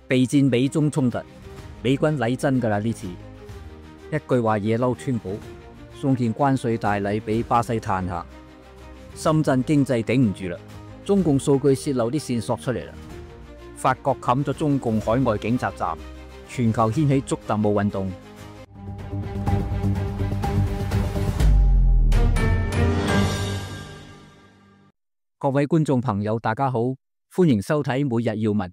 備戰美中衝突，美軍嚟真㗎啦呢次。一句話惹嬲川普，送件關稅大禮俾巴西嘆下。深圳經濟頂唔住啦，中共數據泄漏啲線索出嚟啦。法國冚咗中共海外警察站，全球掀起捉特務運動。各位觀眾朋友，大家好，歡迎收睇每日要聞。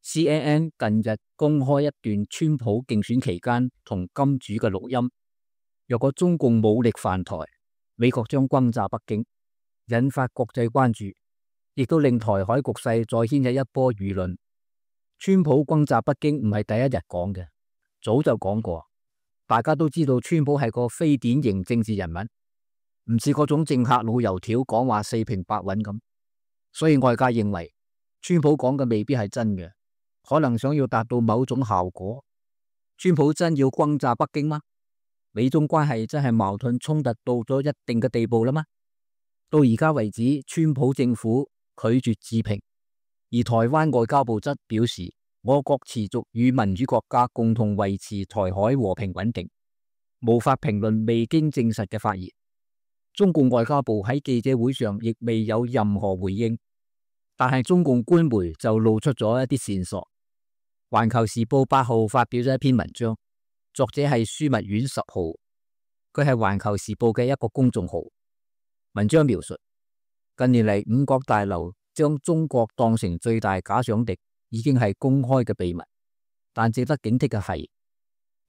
CNN 近日公開一段川普競選期間同金主嘅錄音，若果中共武力犯台，美國將轟炸北京，引發國際關注，亦都令台海局勢再掀起一波輿論。川普轟炸北京唔係第一日講嘅，早就講過。大家都知道川普係個非典型政治人物，唔似嗰種政客老油條講話四平八穩咁，所以外界認為川普講嘅未必係真嘅，可能想要達到某種效果。川普真要轟炸北京嗎？美中關係真係矛盾衝突到咗一定嘅地步啦嗎？到而家為止，川普政府拒絕置評，而台灣外交部則表示，我國持續與民主國家共同維持台海和平穩定，無法評論未經證實嘅發言。中共外交部喺記者會上亦未有任何回應，但係中共官媒就露出咗一啲線索。環球時報8號發表咗一篇文章，作者係樞密院10號，佢係環球時報嘅一個公眾號。文章描述近年嚟五角大樓將中國當成最大假想敵已經係公開嘅秘密，但值得警惕嘅係，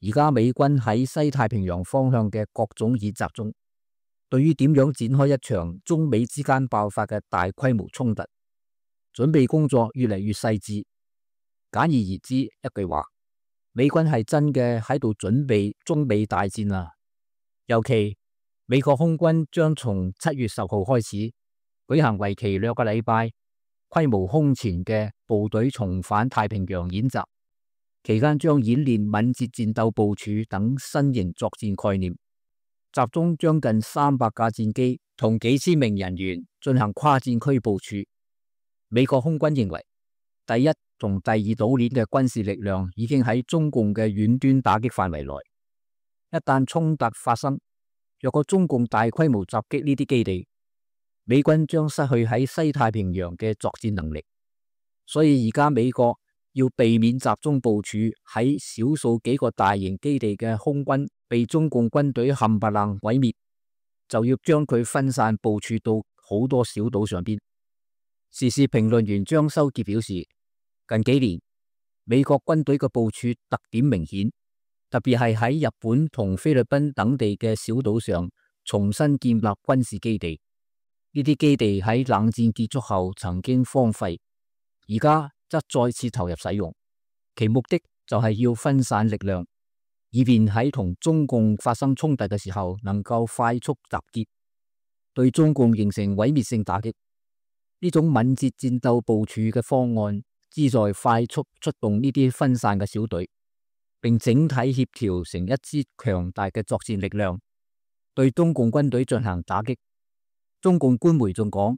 而家美軍喺西太平洋方向嘅各種演習中，對於點樣展開一場中美之間爆發嘅大規模衝突，準備工作越嚟越細緻。簡而言之，一句話，美軍係真嘅喺度準備中美大戰啦。尤其美國空軍將從7月10號開始舉行為期2個禮拜、規模空前嘅部隊重返太平洋演習，期間將演練敏捷戰鬥部署等新型作戰概念。集中將近300架戰機同幾千名人員進行跨戰區部署。美國空軍認為，第一同第二島鏈嘅軍事力量已經喺中共嘅遠端打擊範圍內。一旦衝突發生，若果中共大規模襲擊呢啲基地，美軍將失去喺西太平洋嘅作戰能力。所以而家美國要避免集中部署喺少數幾個大型基地嘅空軍被中共軍隊冚唪唥毀滅，就要將佢分散部署到好多小島上邊。時事評論員張修傑表示，近幾年美國軍隊嘅部署特點明顯，特別係喺日本同菲律賓等地嘅小島上重新建立軍事基地。呢啲基地喺冷戰結束後曾經荒廢，而家則再次投入使用，其目的就係要分散力量，以便喺同中共發生衝突嘅時候能夠快速集結，對中共形成毀滅性打擊。呢種敏捷戰鬥部署嘅方案，旨在快速出動呢啲分散嘅小隊，並整體協調成一支強大嘅作戰力量，對中共軍隊進行打擊。中共官媒仲講，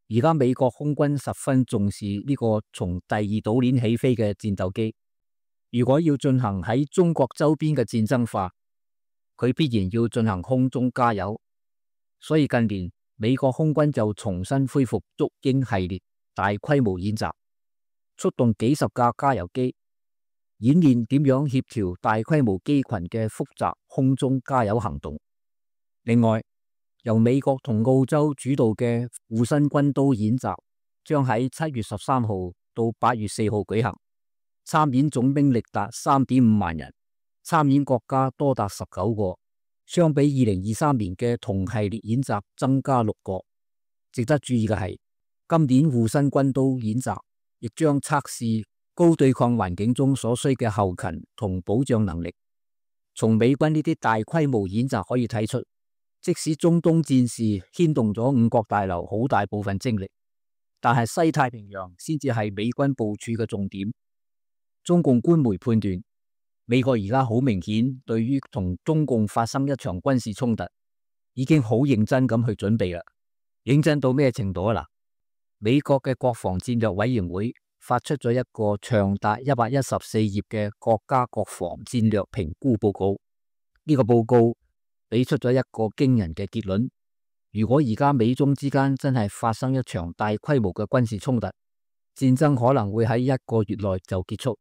而家美國空軍十分重視呢個從第二島鏈起飛嘅戰鬥機。如果要進行喺中國周邊嘅戰爭化，佢必然要進行空中加油。所以近年美國空軍就重新恢復鶇鷹系列大規模演習，出動幾十架加油機，演練點樣協調大規模機群嘅複雜空中加油行動。另外，由美國同澳洲主導嘅護身軍刀演習將喺7月13號到8月4號舉行，參演總兵力達3.5萬人，參演國家多達19個，相比2023年嘅同系列演習增加6個。值得注意嘅係，今年護身軍刀演習亦將測試高對抗環境中所需嘅後勤同保障能力。從美軍呢啲大規模演習可以睇出，即使中東戰事牽動咗五角大樓好大部分精力，但係西太平洋先至係美軍部署嘅重點。中共官媒判斷，美國而家好明顯對於同中共發生一場軍事衝突，已經好認真咁去準備啦。認真到咩程度啊？美國嘅國防戰略委員會發出咗一個長達114頁嘅國家國防戰略評估報告。呢個報告俾出咗一個驚人嘅結論：如果而家美中之間真係發生一場大規模嘅軍事衝突，戰爭可能會喺1個月內就結束。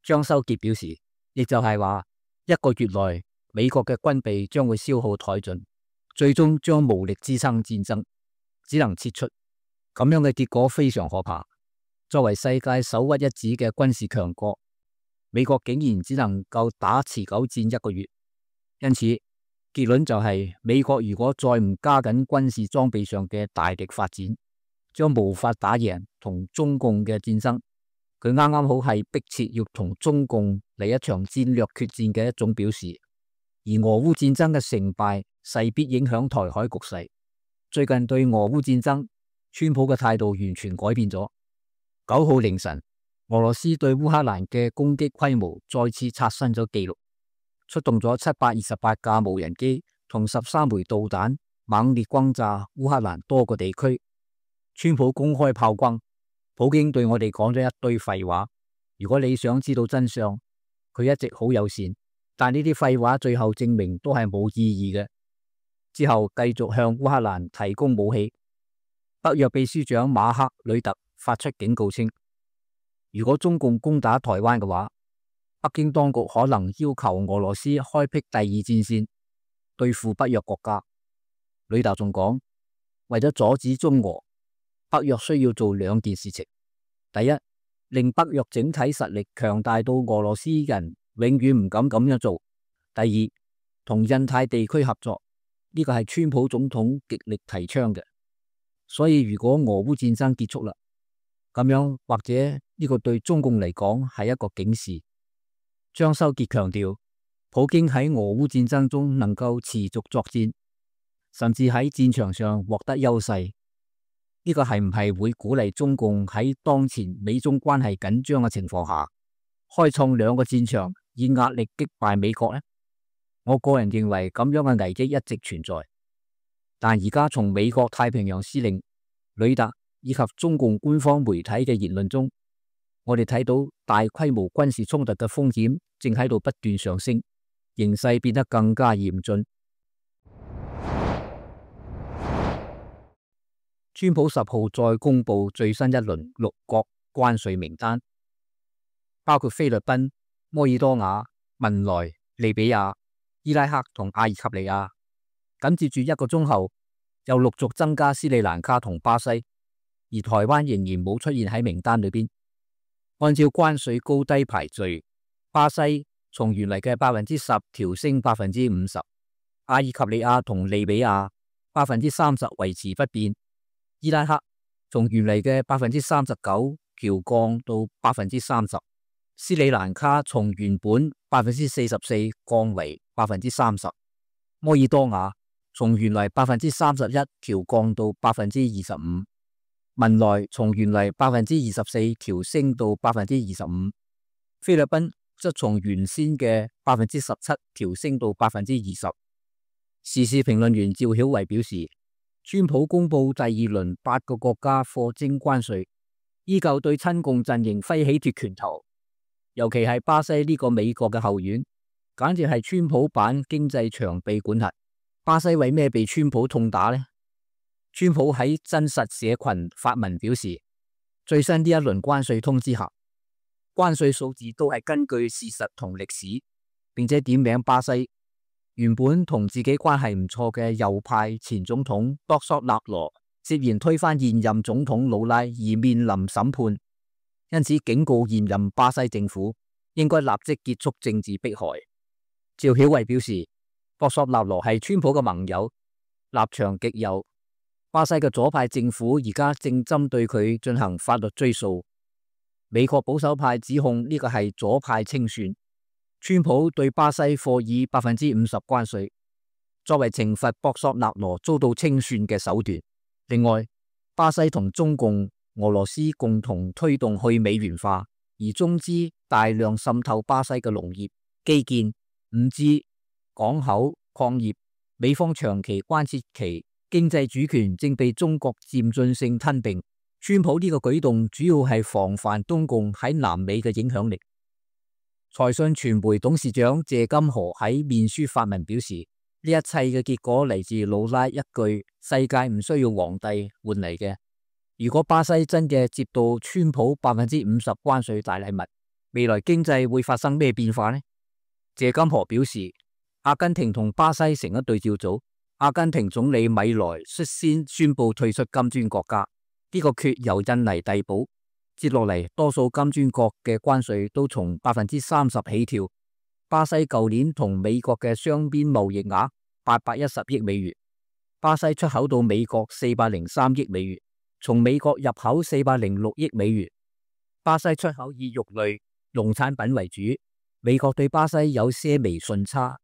張修傑表示，亦就係話1個月內美國嘅軍備將會消耗殆盡，最終將無力支撐戰爭，只能撤出。咁樣嘅結果非常可怕。作為世界首屈一指嘅軍事強國，美國竟然只能夠打持久戰1個月。因此結論就係，美國如果再唔加緊軍事裝備上嘅大力發展，將無法打贏同中共嘅戰爭。佢啱啱好係迫切要同中共嚟一場戰略決戰嘅一種表示。而俄烏戰爭嘅成敗勢必影響台海局勢。最近對俄烏戰爭，川普嘅態度完全改變咗。9號凌晨，俄羅斯對烏克蘭嘅攻擊規模再次刷新咗紀錄，出動咗728架無人機同13枚導彈，猛烈轟炸烏克蘭多個地區。川普公開炮轟，普京對我哋講咗一堆廢話。如果你想知道真相，佢一直好友善，但呢啲廢話最後證明都係冇意義嘅。之後繼續向烏克蘭提供武器。北約秘書長馬克呂特發出警告稱，如果中共攻打台灣嘅話，北京當局可能要求俄羅斯開闢第二戰線對付北約國家。呂特仲講，為咗阻止中俄，北約需要做2件事情。第一，令北約整體實力強大到俄羅斯人永遠唔敢咁樣做。第二，同印太地區合作，呢個係川普總統極力提倡嘅。所以如果俄烏戰爭結束啦，咁樣或者呢個對中共嚟講係一個警示。張修傑強調，普京喺俄烏戰爭中能夠持續作戰，甚至喺戰場上獲得優勢，呢個係唔係會鼓勵中共喺當前美中關係緊張嘅情況下，開創2個戰場以壓力擊敗美國呢？我個人認為咁樣嘅危機一直存在。但而家從美國太平洋司令呂特以及中共官方媒體嘅言論中，我哋睇到大規模軍事衝突嘅風險正喺度不斷上升，形勢變得更加嚴峻。川普10號再公布最新一輪6國關稅名單，包括菲律賓、摩爾多瓦、文萊、利比亞、伊拉克同阿爾及利亞。緊接住1個鐘後，又陸續增加斯里蘭卡同巴西，而台灣仍然冇出現喺名單裏邊。按照關稅高低排序，巴西從原嚟嘅10%調升50%，阿爾及利亞同利比亞30%維持不變，伊拉克從原嚟嘅39%調降到30%，斯里蘭卡從原本44%降為30%，摩爾多瓦從原嚟31%調降到25%，文萊從原嚟24%調升到25%，菲律賓則從原先嘅17%調升到20%。時事評論員趙曉維表示，川普公布第2輪8個國家課徵關稅，依舊對親共陣營揮起脫拳頭，尤其係巴西呢個美國嘅後院，簡直係川普版經濟長臂管轄。巴西為咩被川普痛打呢？川普喺真實社群發文表示，最新呢一輪關稅通知下，關稅數字都係根據事實同歷史，並且點名巴西原本同自己關係唔錯嘅右派前總統博索納羅涉嫌推翻現任總統魯拉而面臨審判，因此警告現任巴西政府應該立即結束政治迫害。趙曉維表示，博索納羅係川普嘅盟友，立場極右。巴西嘅左派政府而家正針對佢進行法律追訴。美國保守派指控呢個係左派清算。川普對巴西課以50%關稅，作為懲罰博索納羅遭到清算嘅手段。另外，巴西同中共、俄羅斯共同推動去美元化，而中資大量滲透巴西嘅農業、基建、5G、港口、礦業。美方長期關切其經濟主權正被中國漸進性吞併，川普呢個舉動主要係防範中共喺南美嘅影響力。財訊傳媒董事長謝金河喺面書發文表示，呢一切嘅結果嚟自魯拉一句世界唔需要皇帝換嚟嘅。如果巴西真嘅接到川普50%關稅大禮物，未來經濟會發生咩變化呢？謝金河表示，阿根廷同巴西成一對照組，阿根廷總理米萊率先宣布退出金磚國家，呢個缺由印尼遞補。接落嚟，多數金磚國嘅關稅都從30%起跳。巴西舊年同美國嘅雙邊貿易額810億美元，巴西出口到美國403億美元，從美國入口406億美元。巴西出口以肉類、農產品為主，美國對巴西有些微順差，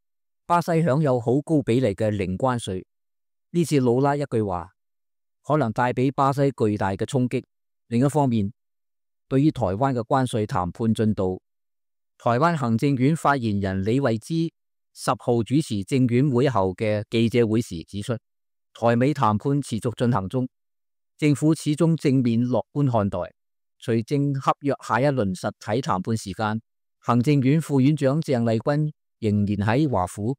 巴西享有好高比例嘅零關稅。呢次魯拉一句話，可能帶俾巴西巨大嘅衝擊。另一方面，對於台灣嘅關稅談判進度，台灣行政院發言人李慧芝10號主持政院會後嘅記者會時指出，台美談判持續進行中，政府始終正面樂觀看待。隨正洽約下一輪實體談判時間，行政院副院長鄭麗君仍然喺華府。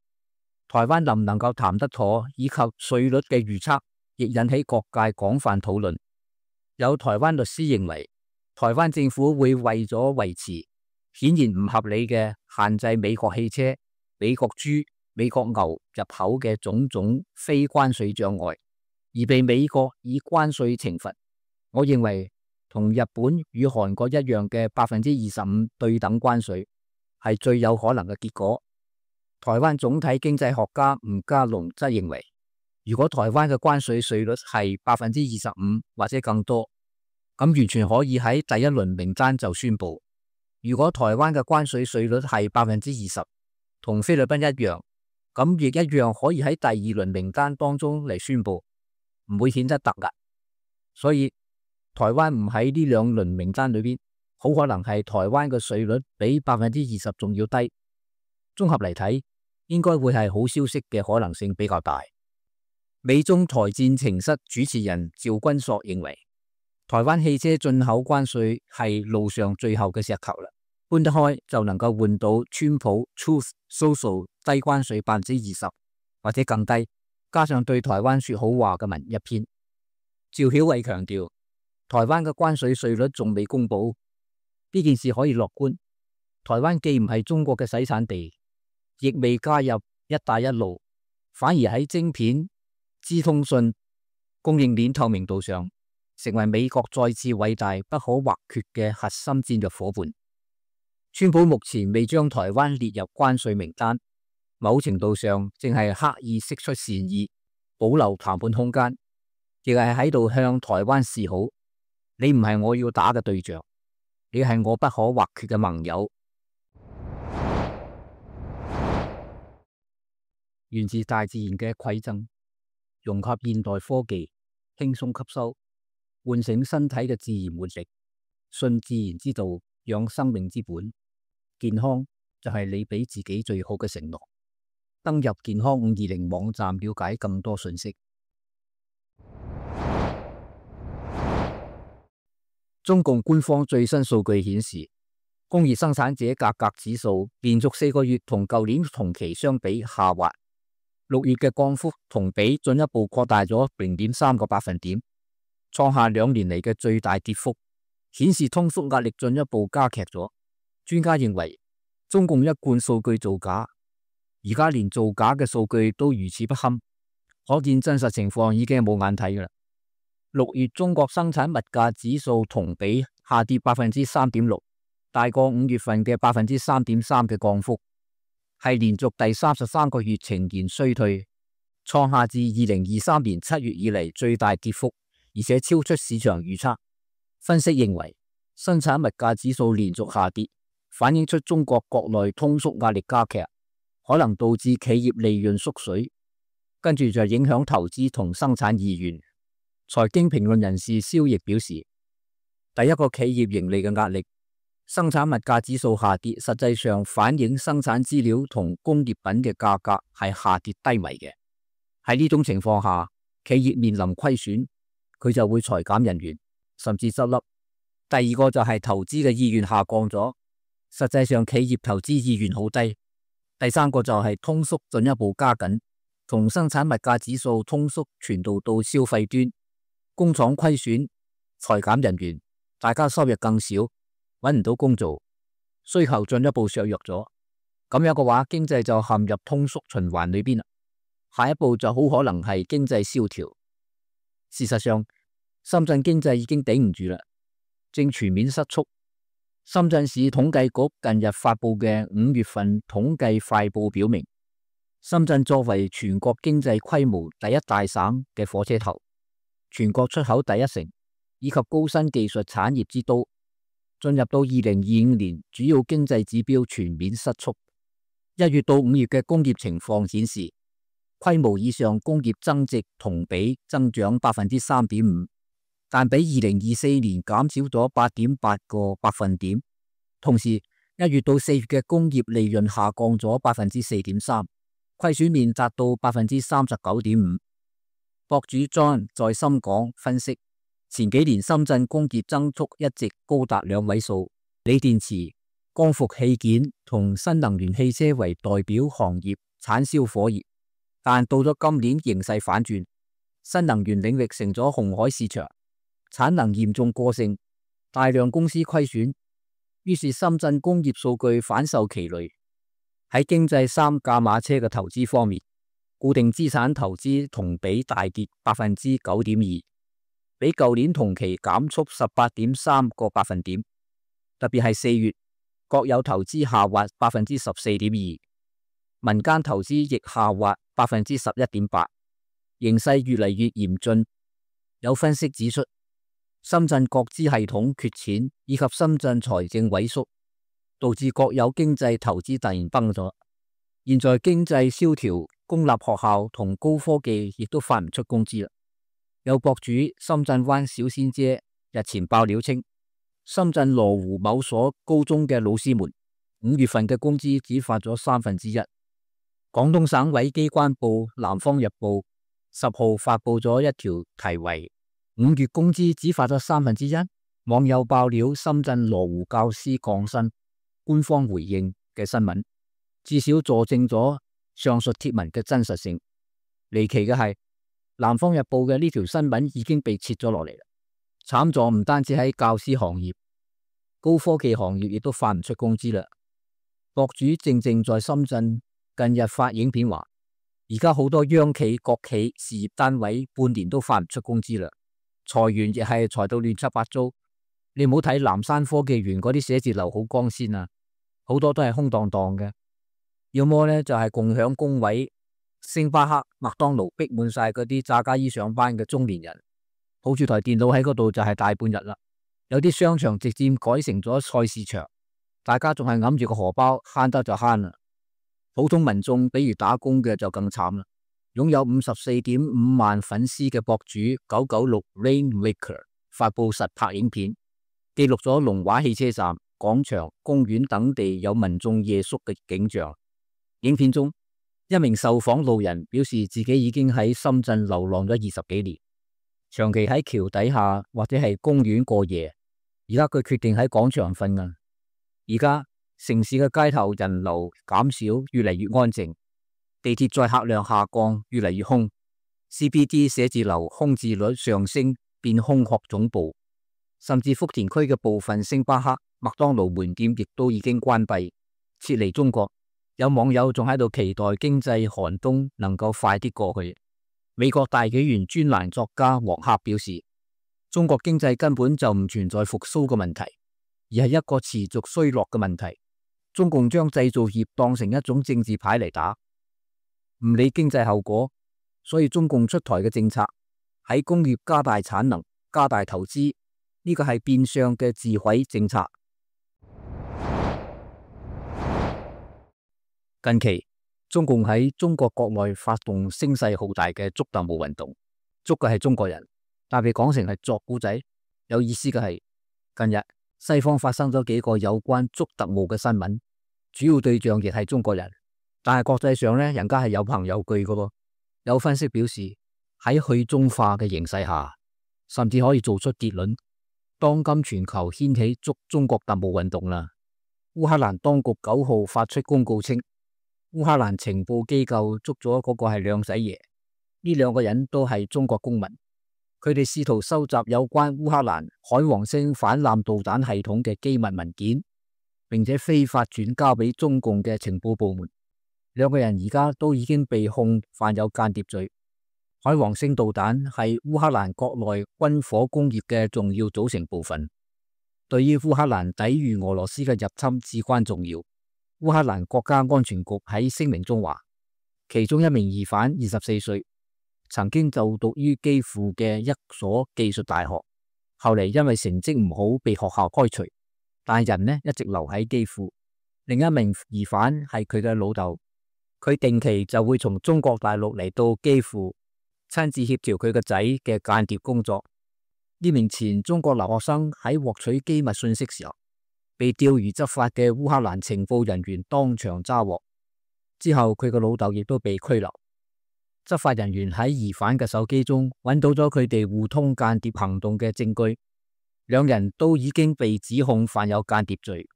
台灣能唔能夠談得妥，以及稅率嘅預測，亦引起各界廣泛討論。有台灣律師認為，台灣政府會為咗維持顯然唔合理嘅限制美國汽車、美國豬、美國牛入口嘅種種非關稅障礙，而被美國以關稅懲罰。我認為同日本與韓國一樣嘅25%對等關稅係最有可能嘅結果。台灣總體經濟學家吳家龍則認為，如果台灣嘅關稅稅率係25%或者更多，咁完全可以喺第一輪名單就宣布。如果台灣嘅關稅稅率係20%，同菲律賓一樣，咁亦一樣可以喺第二輪名單當中嚟宣布，唔會顯得突兀。所以台灣唔喺呢兩輪名單裏邊，好可能係台灣嘅稅率比20%仲要低。綜合嚟睇，應該會係好消息嘅可能性比較大。美中台戰情室主持人趙君朔認為，台灣汽車進口關稅係路上最後嘅石頭啦，搬得開就能夠換到川普 Truth Social 低關稅20%或者更低，加上對台灣說好話嘅文一篇。趙曉偉強調，台灣嘅關稅稅率仲未公布，呢件事可以樂觀。台灣既唔係中國嘅洗產地，亦未加入一帶一路，反而喺晶片、資通訊、供應鏈透明度上，成為美國再次偉大不可或缺嘅核心戰略夥伴。川普目前未將台灣列入關稅名單，某程度上正係刻意釋出善意，保留談判空間，亦係喺度向台灣示好。你唔係我要打嘅對象，你係我不可或缺嘅盟友。源自大自然嘅饋贈，融合現代科技，輕鬆吸收，喚醒身體嘅自然活力，信自然之道，養生命之本。健康就係你俾自己最好嘅承諾。登入健康520網站了解更多信息。中共官方最新數據顯示，工業生產者價格指數連續4個月同舊年同期相比下滑，6月嘅降幅同比進一步擴大咗0.3個百分點，創下2年嚟嘅最大跌幅，顯示通縮壓力進一步加劇咗。專家認為，中共一貫數據造假，而家連造假嘅數據都如此不堪，可見真實情況已經冇眼睇㗎啦。6月中國生產物價指數同比下跌3.6%，大過5月份嘅3.3%嘅降幅，係連續第33個月呈現衰退，創下自2023年7月以嚟最大跌幅，而且超出市場預測。分析認為，生產物價指數連續下跌，反映出中國國內通縮壓力加劇，可能導致企業利潤縮水，跟住就影響投資同生產意願。財經評論人士蕭奕表示，第一個企業盈利嘅壓力，生產物價指數下跌，實際上反映生產資料同工業品嘅價格係下跌低迷嘅。喺呢種情況下，企業面臨虧損，佢就會裁減人員，甚至執笠。第二個就係投資嘅意願下降咗，實際上企業投資意願好低。第三個就係通縮進一步加緊，從生產物價指數通縮傳導到消費端，工廠虧損、裁減人員，大家收入更少，揾唔到工做，需求進一步削弱咗。咁樣嘅話，經濟就陷入通縮循環裏邊啦。下一步就好可能係經濟蕭條。事實上，深圳經濟已經頂唔住啦，正全面失速。深圳市統計局近日發布嘅5月份統計快報表明，深圳作為全國經濟規模第一大省嘅火車頭，全國出口第一城，以及高新技術產業之都，進入到2025年，主要經濟指標全面失速。1月到5月嘅工業情況顯示，規模以上工業增值同比增長 3.5%， 但比2024年減少咗 8.8個百分點。同時，1月到4月嘅工業利潤下降咗 4.3%， 虧損面達到 39.5%。博主 John 在深港分析，前幾年深圳工業增速一直高達2位數，鋰電池、光伏器件同新能源汽車為代表行業產銷火熱，但到咗今年形勢反轉，新能源領域成咗紅海市場，產能嚴重過剩，大量公司虧損，於是深圳工業數據反受其累。喺經濟三駕馬車嘅投資方面，固定資產投資同比大跌 9.2%， 比舊年同期減速 18.3個百分點，特別係4月，國有投資下滑 14.2%， 民間投資亦下滑 11.8%， 形勢越嚟越嚴峻。有分析指出，深圳國資系統缺錢以及深圳財政萎縮，導致國有經濟投資突然崩咗。現在經濟蕭條，公立學校同高科技亦都發唔出工資啦。有博主深圳灣小仙姐日前爆料稱，深圳羅湖某所高中嘅老師們5月份嘅工資只發咗1/3。廣東省委機關報《南方日報》10號發布咗一條題為5月工資只發咗1/3，網友爆料深圳羅湖教師降薪，官方回應嘅新聞，至少佐證咗上述貼文嘅真實性。離奇嘅係，《南方日報》嘅呢條新聞已經被撤咗落嚟啦。慘狀唔單止喺教師行業，高科技行業亦都發唔出工資啦。博主正在深圳近日發影片話，而家好多央企、國企、事業單位半年都發唔出工資啦，裁員亦係裁到亂七八糟。你唔好睇南山科技園嗰啲寫字樓好光鮮啊，好多都係空蕩蕩嘅，要麼呢就係共享工位，星巴克、麥當勞逼滿晒嗰啲炸家衣上班嘅中年人，抱住台電腦喺嗰度就係大半日啦。有啲商場直接改成咗菜市場，大家仲係揞住個荷包，慳得就慳啦。普通民眾比如打工嘅就更慘啦。擁有54.5萬粉絲嘅博主996 Rainmaker 發布實拍影片，記錄咗龍華汽車站、廣場、公園等地有民眾夜宿嘅景象。影片中，一名受訪路人表示自己已經喺深圳流浪咗20幾年，長期喺橋底下或者係公園過夜。而家佢決定喺廣場瞓啊！而家城市嘅街頭人流減少，越嚟越安靜，地鐵載客量下降，越嚟越空。CBD 寫字樓空置率上升，變空殼總部，甚至福田區嘅部分星巴克、麥當勞門店亦都已經關閉，撤離中國。有網友仲喺度期待經濟寒冬能夠快啲過去。美國大紀元專欄作家黃克表示，中國經濟根本就唔存在復甦嘅問題，而係一個持續衰落嘅問題。中共將製造業當成一種政治牌嚟打，唔理經濟後果，所以中共出台嘅政策喺工業加大產能、加大投資，呢個係變相嘅自毀政策。近期中共喺中國國內發動聲勢浩大嘅捉特務運動，捉嘅係中國人，但被講成係作古仔。有意思嘅係，近日西方發生咗幾個有關捉特務嘅新聞，主要對象亦係中國人，但係國際上呢，人家係有憑有據嘅噃。有分析表示，喺去中化嘅形勢下，甚至可以做出結論，當今全球掀起捉中國特務運動啦。烏克蘭當局9號發出公告稱，烏克蘭情報機構捉咗嗰個係兩仔爺，呢兩個人都係中國公民，佢哋試圖收集有關烏克蘭海王星反艦導彈系統嘅機密文件，並且非法轉交俾中共嘅情報部門。兩個人而家都已經被控犯有間諜罪。海王星導彈係烏克蘭國內軍火工業嘅重要組成部分，對於烏克蘭抵禦俄羅斯嘅入侵至關重要。烏克蘭國家安全局喺聲明中話，其中一名疑犯24歲，曾經就讀於基輔嘅一所技術大學，後嚟因為成績唔好被學校開除，但人呢一直留喺基輔。另一名疑犯係佢嘅老豆，佢定期就會從中國大陸嚟到基輔，親自協調佢個仔嘅間諜工作。呢名前中國留學生喺獲取機密信息時候，被釣魚執法嘅烏克蘭情報人員當場抓獲，之後佢個老豆亦都被拘留。執法人員喺疑犯嘅手機中揾到咗佢哋互通間諜行動嘅證據，兩人都已經被指控犯有間諜罪。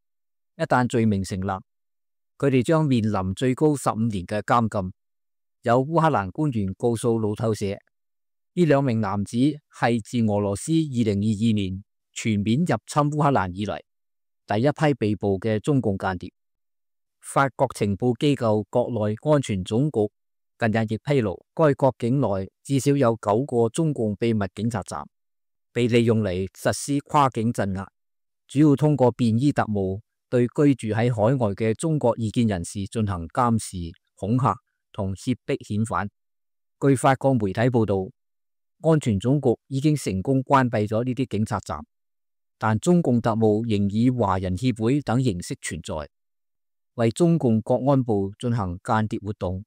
一旦罪名成立，佢哋將面臨最高15年嘅監禁。有烏克蘭官員告訴路透社，呢兩名男子係自俄羅斯2022年全面入侵烏克蘭以嚟第一批被捕嘅中共間諜。法國情報機構國內安全總局近日亦披露，該國境內至少有9個中共秘密警察站被利用嚟實施跨境鎮壓，主要通過便衣特務對居住喺海外嘅中國異見人士進行監視、恐嚇同脅迫遣返。據法國媒體報道，安全總局已經成功關閉咗呢啲警察站，但中共特務仍以華人協會等形式存在，為中共國安部進行間諜活動。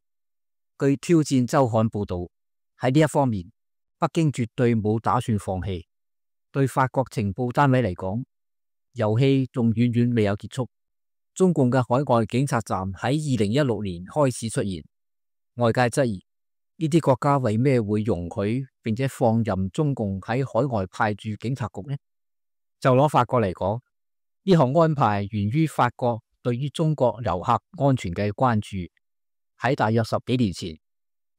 據挑戰週刊報道，喺呢一方面，北京絕對冇打算放棄。對法國情報單位嚟講，遊戲仲遠遠未有結束。中共嘅海外警察站喺2016年開始出現，外界質疑呢啲國家為咩會容許並且放任中共喺海外派駐警察局呢？就攞法國嚟講，呢項安排源於法國對於中國遊客安全嘅關注。喺大約10幾年前，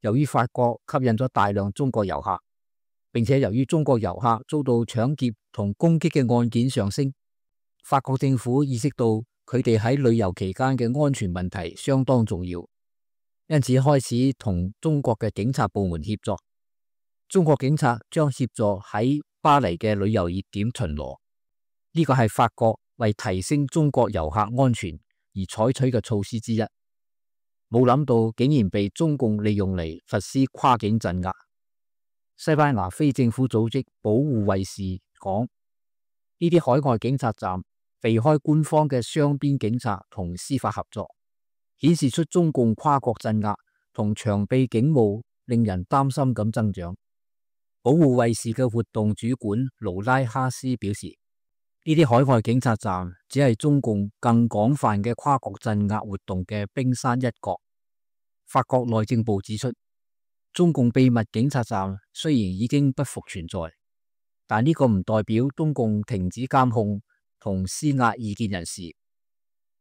由於法國吸引咗大量中國遊客，並且由於中國遊客遭到搶劫同攻擊嘅案件上升，法國政府意識到佢哋喺旅遊期間嘅安全問題相當重要，因此開始同中國嘅警察部門協作。中國警察將協助喺巴黎嘅旅遊熱點巡邏，呢個係法國為提升中國遊客安全而採取嘅措施之一。冇諗到竟然被中共利用嚟實施跨境鎮壓。西班牙非政府組織保護衛士講，呢啲海外警察站避開官方嘅雙邊警察同司法合作，顯示出中共跨國鎮壓同長臂警務令人擔心咁增長。保護衛士嘅活動主管盧拉哈斯表示，呢啲海外警察站只係中共更廣泛嘅跨國鎮壓活動嘅冰山一角。法國內政部指出，中共秘密警察站雖然已經不復存在，但呢個唔代表中共停止監控同施壓異見人士。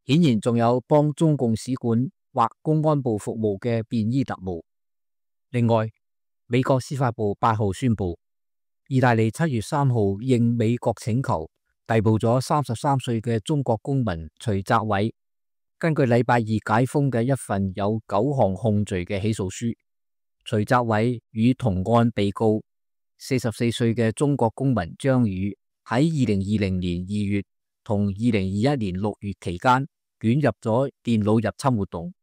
顯然仲有幫中共使館或公安部服務嘅便衣特務。另外，美國司法部8號宣布，意大利7月3號應美國請求逮捕咗33歲嘅中國公民徐澤偉。根據禮拜二解封嘅一份有9項控罪嘅起訴書，徐澤偉與同案被告44歲嘅中國公民張宇喺2020年2月同2021年6月期間捲入咗電腦入侵活動，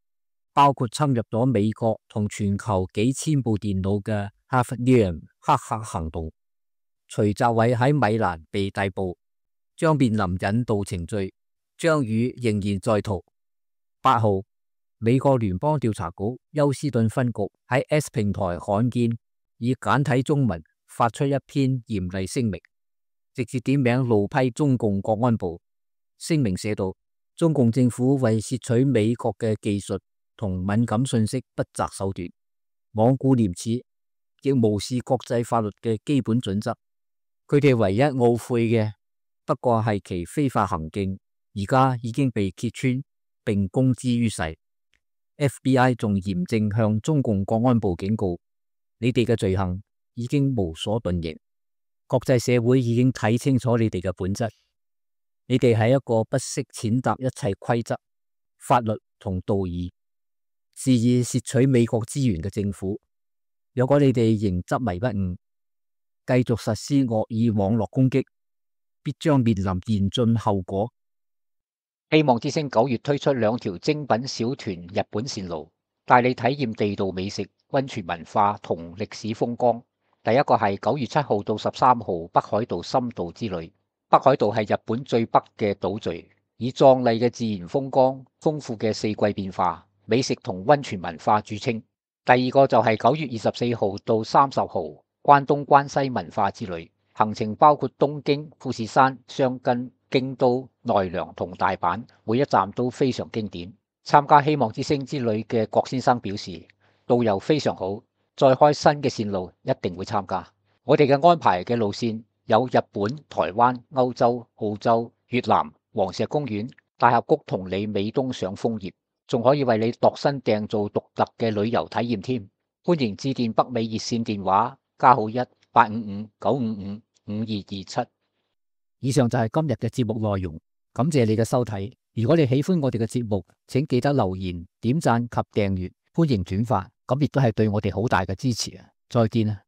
包括侵入咗美國同全球幾千部電腦嘅 Hafnium 黑客行動。徐澤偉喺米蘭被逮捕，將面臨引渡程序。張宇仍然在逃。8號，美國聯邦調查局休斯頓分局喺 X 平台罕見以簡體中文發出一篇嚴厲聲明，直接點名怒批中共國安部。聲明寫道，中共政府為竊取美國嘅技術同敏感信息不擇手段，罔顧廉恥，亦無視國際法律嘅基本準則。佢哋唯一懊悔嘅不過係其非法行徑，而家已經被揭穿並公之於世。FBI 仲嚴正向中共國安部警告，你哋嘅罪行已經無所遁形，國際社會已經睇清楚你哋嘅本質。你哋係一個不惜踐踏一切規則、法律同道義，肆意竊取美國資源嘅政府。如果你哋仍執迷不悟，繼續實施惡意網絡攻擊，必將面臨嚴峻後果。希望之星9月推出2條精品小團日本線路，帶你體驗地道美食、溫泉文化同歷史風光。第一個係9月7號到13號北海道深度之旅。北海道係日本最北嘅島嶼，以壯麗嘅自然風光、豐富嘅四季變化、美食同溫泉文化著稱。第二個就係9月24號到30號關東關西文化之旅，行程包括東京、富士山、箱根、京都、奈良同大阪，每一站都非常經典。參加希望之星之旅嘅郭先生表示，導遊非常好，再開新嘅線路一定會參加。我哋嘅安排嘅路線有日本、台灣、歐洲、澳洲、越南、黃石公園、大峽谷同你美東賞楓葉，仲可以為你度身訂造獨特嘅旅遊體驗添。歡迎致電北美熱線電話+1-855-955-5227。以上就係今日嘅節目內容，感謝你嘅收睇。如果你喜歡我哋嘅節目，請記得留言、點讚及訂閱，歡迎轉發，咁亦都係對我哋好大嘅支持啊！再見啊！